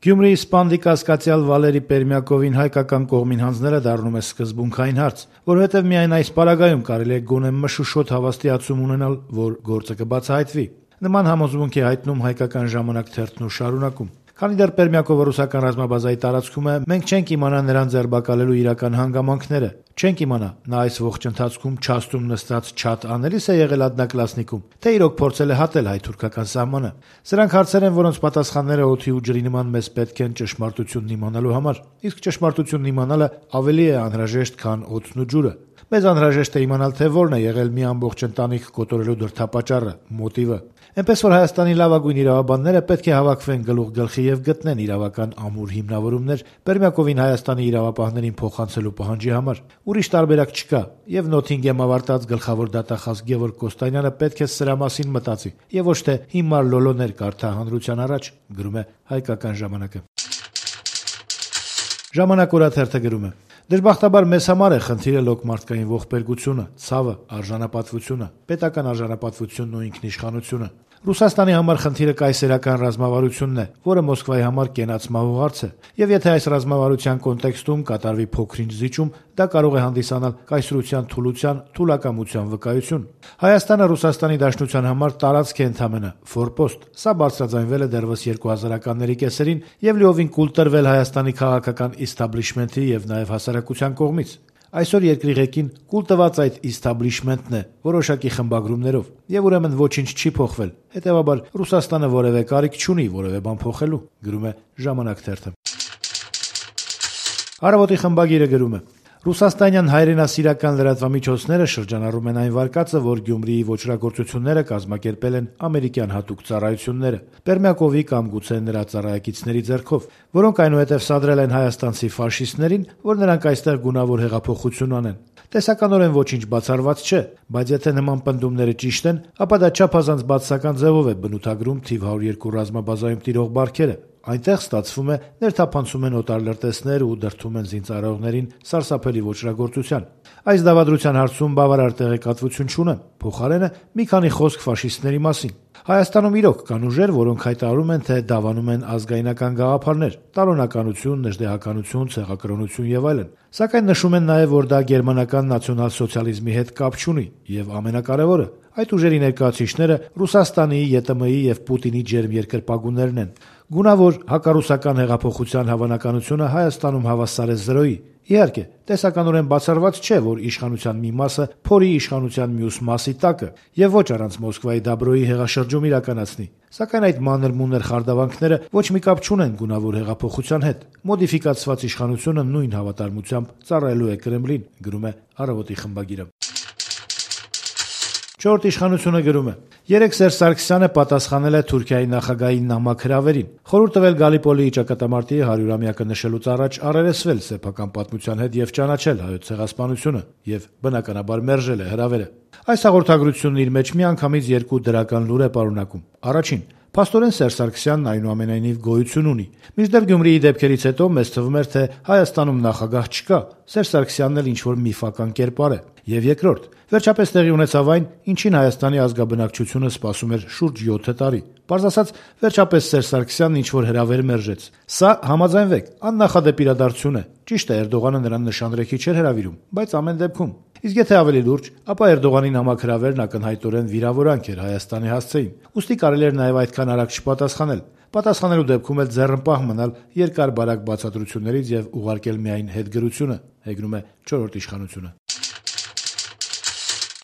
Գյումրիի սպանդի կասկածյալ Վալերի Պերմյակովին հայկական կողմին հանձնելը դառնում է սկզբունքային հարց, որովհետև միայն այս պարագայում կարելի է գոնե մշուշոտ հավաստիացում ունենալ, որ գործը կբացահայտվի։ Նման համոզմունք է հայտնում հայկական ժամանակ թերթն ու շարունակում. Քանի դեռ Պերմյակովը ռուսական ռազմաբազայի տարածքում է, մենք չենք իմանա նրան ձերբակալելու իրական հանգամանքները, չենք իմանա նա այս ողջ ընթացքում չաստում նստած չաթ անելիս է եղել Ադնակլասնիկում, թե իրոք փորձել է հատել հայ-թուրքական սահմանը։ Սրանք հարցեր են, որոնց պատասխանները օդի ու ջրի նման մեզ պետք են ճշմարտությունն իմանալու համար, իսկ ճշմարտությունն իմանալը ավելի է անհրաժեշտ, քան օդն ու ջուրը։ Մեզ անհրաժեշտ է իմանալ, թե որն է եղել մի ամբողջ ընտանիք կոտորելու դրդապատճառը, մոտիվը։ Էնպես որ Հայաստանի լավագույն իրավաբանները պետք է հավաքվեն գլուխ գլխի եւ գտնեն իրավական ամուր հիմնավորումներ Պերմյակովին Հայաստանի իրավապահներին փոխանցելու պահանջի համար։ Ուրիշ տարբերակ չկա, եւ Նոթինգեմ ավարտած գլխավոր դատախազ Գևորգ Կոստանյանը պետք է սրա մասին մտածի եւ ոչ թե հիմար լոլոներ կարդա հանրության առաջ, գրում է Հայկական ժամանակը։ Ժամանակ օրաթերթը գրում է. Դժբախտաբար մեզ համար է խնդիրը լոկմարտկային ողբերգությունը, ցավը, արժանապատվությունը, պետական արժանապատվությունն ու ինքնիշխանությունը։ Ռուսաստանի համար խնդիրը կայսերական ռազմավարությունն է, որը Մոսկվայի համար կենաց մահու հարց է, եւ եթե այս ռազմավարության կոնտեքստում կատարվի փոքր-ինչ զիջում, դա կարող է հանդիսանալ կայսրության թուլության, թուլակամության վկայություն։ Հայաստանը Ռուսաստանի Դաշնության համար տարածք է ընդամենը, ֆորպոստ։ Սա բարձրաձայնվել է դեռևս 2000-ականների կեսերին եւ լիովին կուլ տրվել Հայաստանի քաղաքական իստաբլիշմենթի եւ նաեւ հասարակության կողմից։ Այսօր երկրի ղեկին կուլ տված այդ իստաբլիշմենթն է, որոշակի խմբագրումներով, եւ ուրեմն ոչինչ չի փոխվել։ Հետեւաբար Ռուսաստանը որևէ կարիք չունի որևէ բան փոխելու, գրում է Ժամանակ թերթը։ Առավոտի խմբագիրը գրում է. Ռուսաստանյան հայրենասիրական լրատվամիջոցները շրջանառում են այն վարկածը, որ Գյումրիի ոչրագործությունները կազմակերպել են ամերիկյան հատուկ ծառայությունները, Պերմյակովի կամ գուցե նրա ծառայակիցների ձեռքով, որոնք այնուհետև սադրել են հայաստանցի ֆաշիստներին, որ նրանք այստեղ գունավոր հեղափոխություն անեն։ Տեսականորեն ոչինչ բացառված չէ, բայց եթե նման պնդումները ճիշտ են, ապա դա չափազանց բացասական ձևով է բնութագրում թիվ 102 ռազմաբազայում տիրող բարքերը։ Այնտեղ ստացվում է ներթափանցում են օտար լրտեսներ ու դրդում են զինծառայողներին սարսափելի ոչրագործության։ Այս դավադրության հարցում բավարար տեղեկատվություն չունեմ, փոխարենը մի քանի խոսք ֆաշիստների մասին։ Հայաստանում իրոք կան ուժեր, որոնք հայտարարում են, թե դավանում են ազգայնական գաղափարներ, տարոնականություն, նժդեհականություն, ցեղակրոնություն եւ այլն։ Սակայն նշում են նաեւ, որ դա գերմանական նացիոնալ-սոցիալիզմի հետ կապ չունի եւ ամենակարևորը, այդ ուժերի ներկայացուցիչները Ռուսաստանի, ԵՏՄ-ի եւ Պուտինի ջերմ երկրպագուներն են։ Գունավոր հակառուսական հեղափոխության հավանականությունը Հայաստանում հավասար է 0-ի։ Իհարկե, տեսականորեն բացառված չէ, որ իշխանության մի մասը փորի իշխանության մյուս մասի տակը եւ ոչ առանց Մոսկվայի Դաբրոյի հեղաշրջում իրականացնի։ Սակայն այդ մանր-մունր խարդավանքները ոչ մի կապ չունեն գունավոր հեղափոխության հետ։ Մոդիֆիկացված իշխանությունը նույն հավատարմությամբ ծառայելու է Կրեմլին, գրում է Առավոտի խմբագիրը։ Չորրորդ իշխանությունը գրում է. Երեկ Սերժ Սարգսյանը պատասխանել է Թուրքիայի նախագահի նամակ հրավերին, խորհուրդ տվել Գալիպոլիի ճակատամարտի 100-ամյակը նշելուց առաջ առերեսվել սեփական պատմության հետ եւ ճանաչել հայոց ցեղասպանությունը եւ բնականաբար մերժել է հրավերը։ Այս հաղորդագրությունն իր մեջ միանգամից երկու դրական լուր է պարունակում։ Առաջին, փաստորեն Սերժ Սարգսյանն այնուամենայնիվ գոյություն ունի։ Մինչդեռ Գյումրիի դեպքերից հետո մեզ թվում էր, թե Հայաստանում նախագահ չկա, Սերժ Սարգսյանն էլ ինչ-որ միֆական կերպար է։ Եվ երկրորդ, վերջապես տեղի ունեցավ այն, ինչին Հայաստանի ազգաբնակչությունը սպասում էր շուրջ 7 տարի։ Պարզ ասած, վերջապես Սերժ Սարգսյանն ինչ-որ հրավեր մերժեց։ Սա, համաձայնվեք, աննախադեպ իրադարձություն է։ Ճիշտ է, Էրդողանը նրան նշանրեքի չէր հրավիրում, բայց ամեն դեպքում։ Իսկ եթե ավելի լուրջ, ապա Էրդողանի նամակ հրավերն ակնհայտորեն վիրավորանք էր Հայաստանի հասցեին։ Ուստի կարելի էր նաև այդքան արագ չպատասխանել։ Պատասխանելու դեպքում էլ ձեռնպահ մնալ երկար-բարակ բացատրություններից եւ ուղարկել միայն հետգրությունը, հեգնում է 4-րդ իշխանությունը։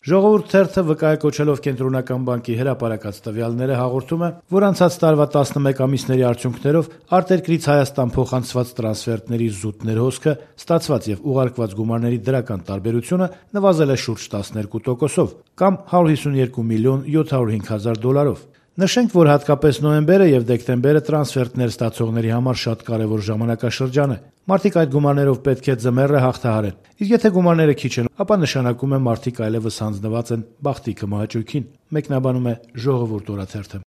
Ժողովուրդ թերթը վկայակոչելով Կենտրոնական բանկի հրապարակած տվյալները հաղորդում է, որ անցած տարվա 11 ամիսների արդյունքներով արտերկրից Հայաստան փոխանցված տրանսֆերտների զուտ ներհոսքը, ստացված եւ ուղարկված գումարների դրական տարբերությունը նվազել է շուրջ 12%-ով կամ 152 միլիոն 705 հազար դոլարով։ Նշենք, որ հատկապես նոյեմբերը եւ դեկտեմբերը տրանսֆերտներ ստացողների համար շատ կարեւոր ժամանակաշրջան է։ Մարդիկ այդ գումարներով պետք է ձմեռը հաղթահարեն։ Իսկ եթե գումարները քիչ են, ապա նշանակում է մարդիկ այլևս հանձնված են բախտի կմահաճույքին, մեկնաբանում է Ժողովուրդ օրաթերթը։